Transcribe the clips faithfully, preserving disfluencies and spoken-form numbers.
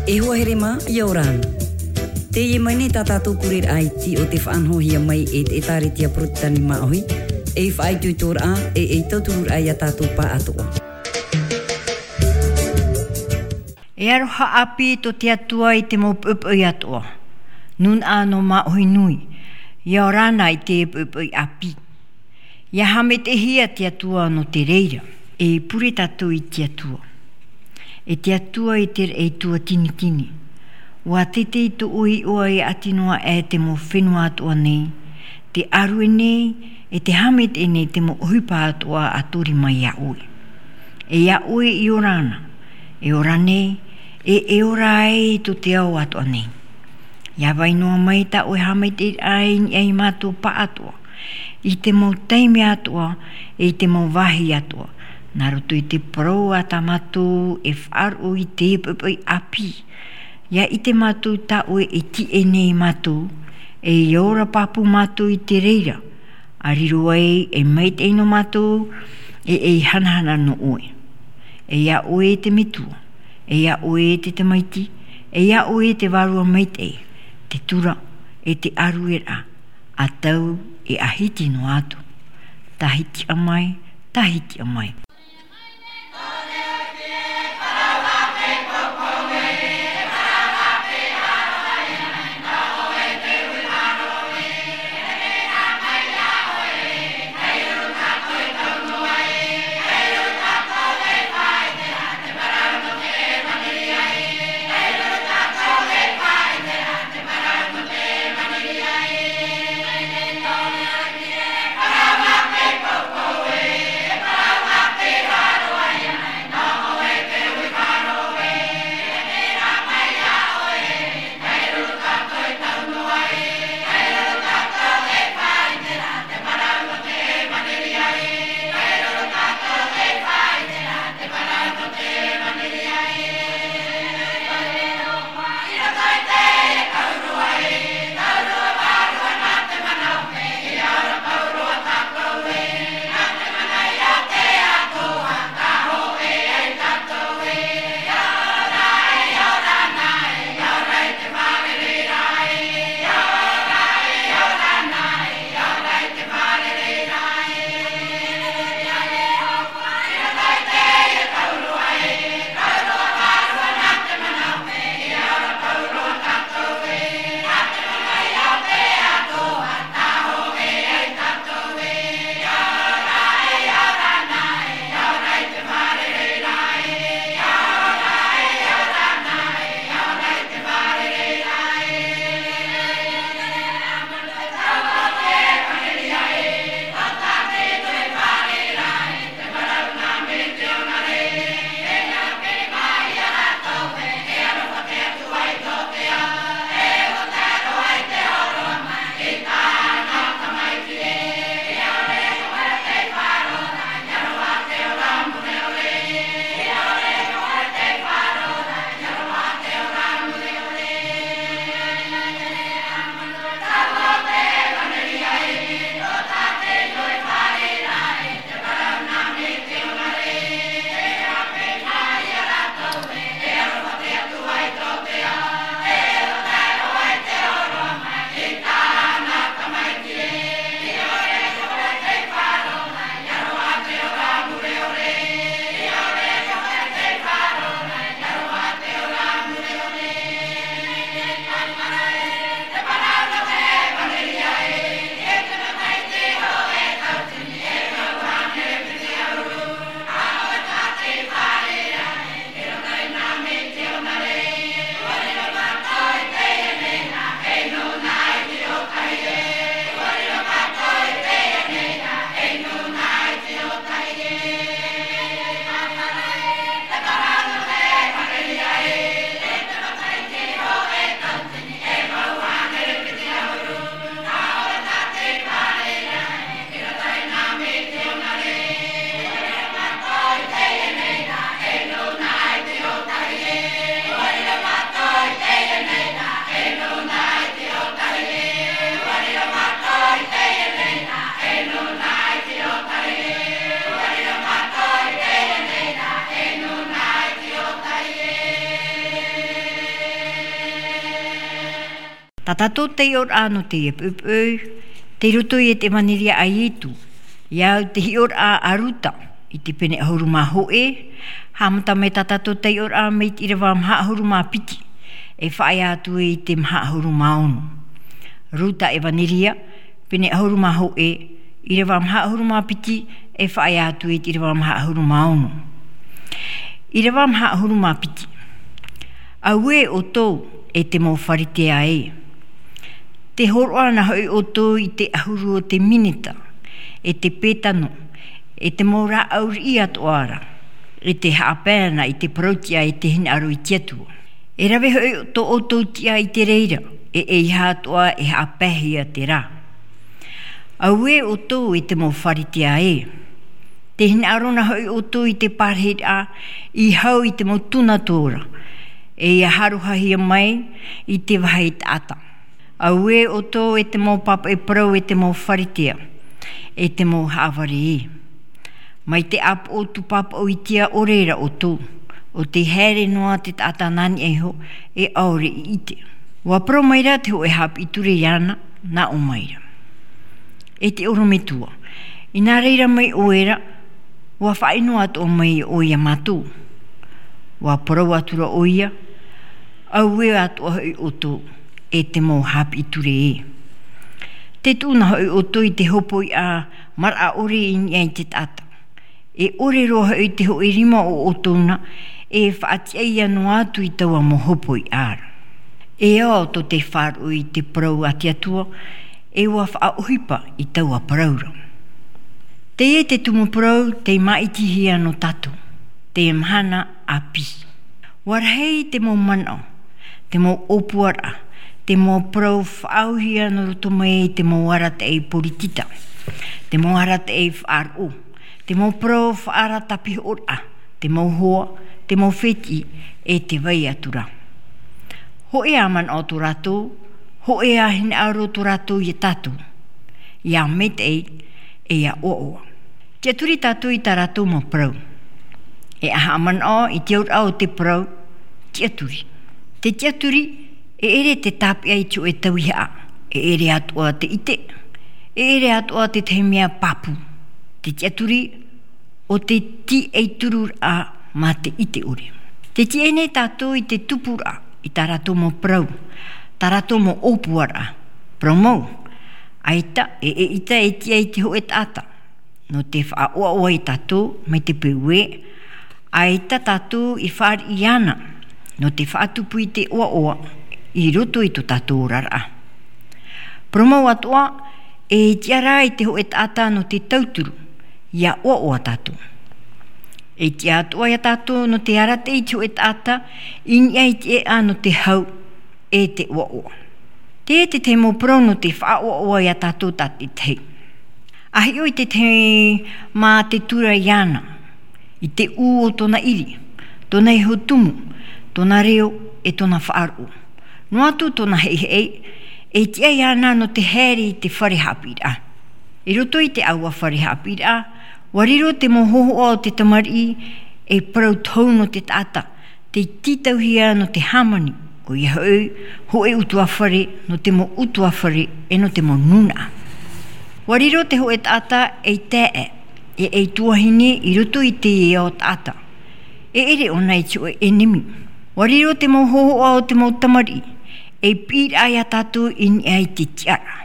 E hoa here mā, ʻia ora na. Teie mai nei tā tātou pureraʻa iti o te faʻanahohia mai e te ʻĒtārētia Porotetani Māʻohi, ei faʻaitoitoraʻa, e ei tautururaʻa ia tātou pāʻatoʻa. E aroha ʻāpī tō te Atua i te mau poʻipoʻi atoʻa. Nūnaʻa nō Māʻohi nui, ʻia ora na i te poʻipoʻi ʻāpī. ʻIa haʻamaitaʻihia te Atua nō te reira. E pure tātou i te Atua. E te Atua i te raʻi tuatinitini. ʻUa teitei tō ʻoe iʻoa e ʻati noa aʻe te mau fenua atoʻa nei, te ʻārue nei, e te haʻamaitaʻi nei te mau ʻohipa atoʻa a tori mai iā ʻoe. E iā ʻoe i ora na, e ora nei, e, e ora ai tō te ao atoʻa nei. ʻIa vai noa mai tā ʻoe haʻamaitaʻiraʻa i niʻa ia mātou pāʻatoʻa, i te mau taime atoʻa, e i te mau vāhi atoʻa, nā roto i te parau a tā mātou e faʻaroʻo i te poʻipoʻi ʻāpī. ʻIa ʻite mātou tā ʻoe e tiʻa nei ia mātou, e ʻia ora pāpū mātou i te reira, a riro ai e maitaʻi nō mātou, e ei hanahana nō ʻoe. E iā ʻoe te Metua, e iā ʻoe te Tamaiti, e iā ʻoe te Vārua Maitaʻi, te tura, e te ʻārueraʻa, a tau e a hiti noa atu. Tahiti ʻa mai, tahiti ʻa mai. Tā tātou taiʻoraʻa nō teie poʻipoʻi, tei roto i te ʻevanelia a Ietu, ʻia au te hiʻoraʻa a Ruta, i te pene ʻahuru mā hōʻē, haʻamata mai tā tātou taiʻoraʻa mai te ʻīrava maha ʻahuru mā piti, e faʻaea atu i te maha ʻahuru mā ono. Ruta ʻevanelia, pene ʻahuru mā hōʻē, ʻīrava maha ʻahuru mā piti, e faʻaea atu i te ʻīrava maha ʻahuru mā ono. ʻĪrava maha ʻahuru mā piti. Auē ʻoutou e te mau Pharisea ē. Tē hōroʻa na hoʻi ʻoutou i te ʻahuru o te minita, e te pētano, e te mau rāʻau riʻi atoʻa ra, e tē haʻapae na i te parau tiʻa e te hinaʻaro i te Atua. E rave hoʻi tō ʻoutou tiʻa i te reira, e ʻeiaha atoʻa e haʻapaehia te rā. Auē ʻoutou e te mau Pharisea ē. Tē hinaʻaro na hoʻi ʻoutou i te parahiraʻa i hau i te mau tuna tora, e ʻia haruhahia mai i te vahi taʻata. Auē ʻoutou e te mau pāpaʻi parau e te mau Pharisea, e te mau haʻavare ē. Mai te ʻāpoʻo tūpāpaʻo i te ao reira ʻoutou, ʻo tē haere noa te taʻata nā niʻa iho, e ʻaore i ʻite. ʻUa parau maira te hōʻē haʻapiʻi ture iāna, nā ʻō maira. E te ʻorometua, i nā reira mai ʻoe ra, ʻua faʻaʻino atoʻa mai ʻoe iā mātou. ʻUa parau atu ra ʻoia, auē atoʻa hoʻi ʻoutou, e te mau haʻapiʻi ture ē. Tē tuʻu na hoʻi ʻoutou i te hopoiʻa maraʻa ʻore i niʻa i te taʻata. E ʻore roa hoʻi te hōʻē rima o ʻoutou na, e faʻatiʻa ia noa atu i taua mau hopoiʻa ra. E ao tō te faʻaroʻo i te parau a te Atua, e ʻua faʻaʻohipa i taua parau ra. Teie te tumu parau, tei māʻitihia nō tātou, te mahana ʻāpī. ʻUa rahi te mau manaʻo, te mau ʻōpuaraʻa, te mau parau faʻaauhia nō roto mai i te mau arataʻi poritita, te mau arataʻi faʻaroʻo, te mau parau faʻaara tāpihoʻoraʻa, te mau hoa, te mau fētiʻi, e te vai atu ra. Hōʻē ā manaʻo tō rātou, hōʻē ā hinaʻaro tō rātou iā tātou, ʻia maitaʻi, e ʻia ʻoaʻoa. Tiʻaturi tātou i tā rātou mau parau. E ʻa haʻamanaʻo i te auraʻa o te parau, tiʻaturi. Te tiʻaturi, e ʻere te tāpeʻa i te hōʻē tauihaʻa, e ʻere atoʻa te ʻite, e ʻere atoʻa te tahi mea pāpū. Te tiʻaturi, ʻo te tiʻaturiraʻa mā te ʻite ʻore. Tē tiʻa nei tātou i te tupuraʻa, i tā rātou mau parau, tā rātou mau ʻōpuaraʻa. Parau mau, ʻaita, e, ʻeʻita e tiʻa i te hōʻē taʻata. Nō te faʻaʻoaʻoa iā tātou, mai te peu ē, ʻaita tātou i fāriʻi iāna, nō te faʻatupu i te ʻoaʻoa, i roto i tō tātou oraraʻa. Parau mau atoʻa, e tiʻa rā i te hōʻē taʻata nō te tauturu, ʻia ʻoaʻoa tātou. E tiʻa atoʻa iā tātou nō te arataʻi i te hōʻē taʻata, i niʻa i te ʻēʻa nō te hau, e te ʻoaʻoa. Teie te tahi mau parau nō te faʻaʻoaʻoa iā tātou tātaʻitahi. ʻA hiʻo i te tahi mā te tura iāna, i te ʻū o tōna ʻiri, tōna iho tumu, tōna reo, e tōna faʻaroʻo. Noa atu tōna heihei, e tiʻa iāna nō te haere i te fare haʻapiʻiraʻa. I roto i te ʻāua fare haʻapiʻiraʻa, ʻua riro te mau hōhoʻa o te tamariʻi, e parau tohu nō te taʻata, tei tītauhia nō te hāmani, ʻoia hoʻi, hōʻē ʻutuāfare, nō te mau ʻutuāfare, e nō te mau nūnaʻa. ʻUa riro te hōʻē taʻata ei taeaʻe, e ei tuahine i roto i te ao taʻata. E ʻere ʻōna i te hōʻē ʻenemi. ʻUa riro te mau hōhoʻa o te mau tamariʻi, ei piʻiraʻa iā tātou i niʻa i te tiʻaraʻa.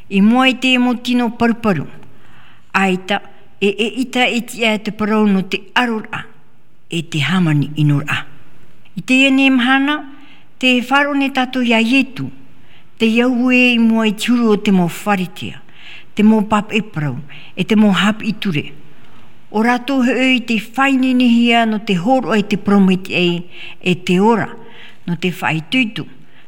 I mua i te mau tino paruparu, ʻaita, e, ʻeʻita e tiʻa te parau nō te ʻaroraʻa, e te hāmani ʻinoraʻa. I teie nei mahana, tē faʻaroʻo nei tātou iā Ietu, tei au ē i mua i te huru o te mau Pharisea, te mau pāpaʻi parau, e te mau haʻapiʻi ture. ʻO rātou hoʻi tei faʻaineinehia nō te hōroʻa i te parau maitaʻi, e te ora, nō te faʻaitoito,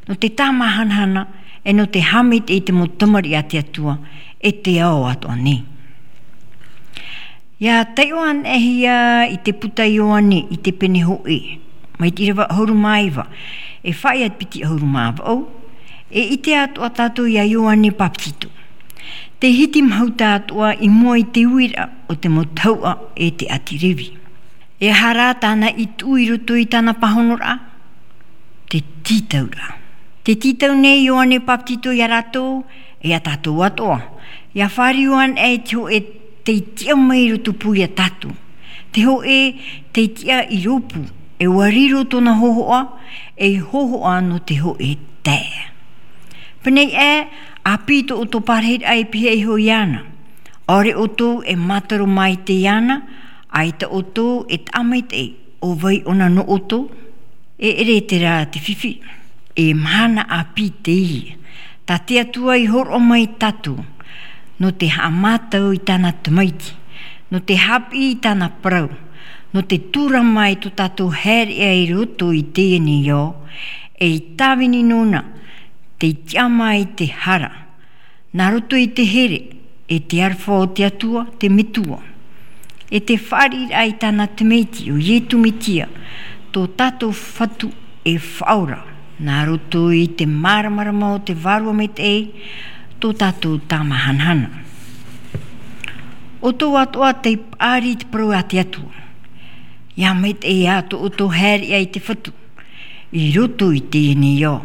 nō te tāmāhanahana, e nō te haʻamaitaʻi i te mau tamariʻi a te Atua, e te ao atoʻa nei. ʻIa taiʻo anaʻe hia i te puta Ioane i te pene hōʻē, mai te ʻīrava ʻahuru mā iva, e faʻaea i te piti ʻahuru mā vaʻu, e ʻite atoʻa tātou iā Ioane Papetito. Tei hiti mahuta atoʻa i mua i te uiraʻa o te mau tahuʻa e te ʻāti Revi. E aha rā tāna i tuʻu i roto i tāna pāhonoraʻa? Te tītauraʻa. Te tītau nei Ioane Papetito iā rātou, e iā tātou atoʻa. ʻIa fāriu anaʻe i te hōʻē tei tiʻa mai i roto pū iā tātou. Te hōʻē tei tiʻa i rōpū, e ʻua riro tōna hōhoʻa, ei hōhoʻa nō te hōʻē taeaʻe. Pēnei ē, ʻāpī tō ʻoutou parahiraʻa e pihaʻi iho iāna. ʻAore ʻoutou e mātaro maitaʻi iāna, ʻaita ʻoutou e taʻa maitaʻi ʻo vai ʻōna nō ʻoutou. E ʻere terā te fifi. E mahana ʻāpī teie. Tā te Atua i hōroʻa mai iā tātou, nō te haʻamātau i tāna tamaiti, nō te haʻapiʻi i tāna parau, nō te tūrama i tō tātou haereʻa i roto i teie nei ao, ei tāvini nōna, tei tiʻa mai te hara, nā roto i te here, e te aroha o te Atua, te Metua. E te fāriʻiraʻa i tāna tamaiti ʻo Iesu Mesia, tō tātou Fatu e Faʻaora, nā roto i te māramarama o te Vārua Maitaʻi, tō tātou Tāmāhanahana. ʻOutou atoʻa tei paʻari i te parau a te Atua. ʻIa maitaʻi ā tō ʻoutou haereʻa i te Fatu, i roto i teie nei ao.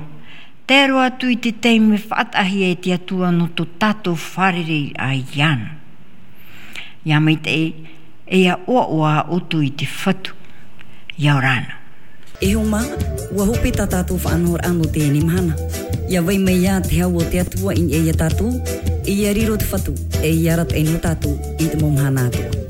Tae roa atu i te taime faʻataʻahia e te Atua nō tō tātou fārereiraʻa iāna. ʻIa maitaʻi, e ʻia ʻoaʻoa ʻoutou i te Fatu, ʻia ora na. E hoa mā, ʻua hope tā tātou faʻanahoraʻa nō teie nei mahana. ʻIa vai mai ā te hau o te Atua i niʻa iā tātou, e ʻia riro te Fatu, e ʻia arataʻi nō tātou i te mau mahana atoʻa.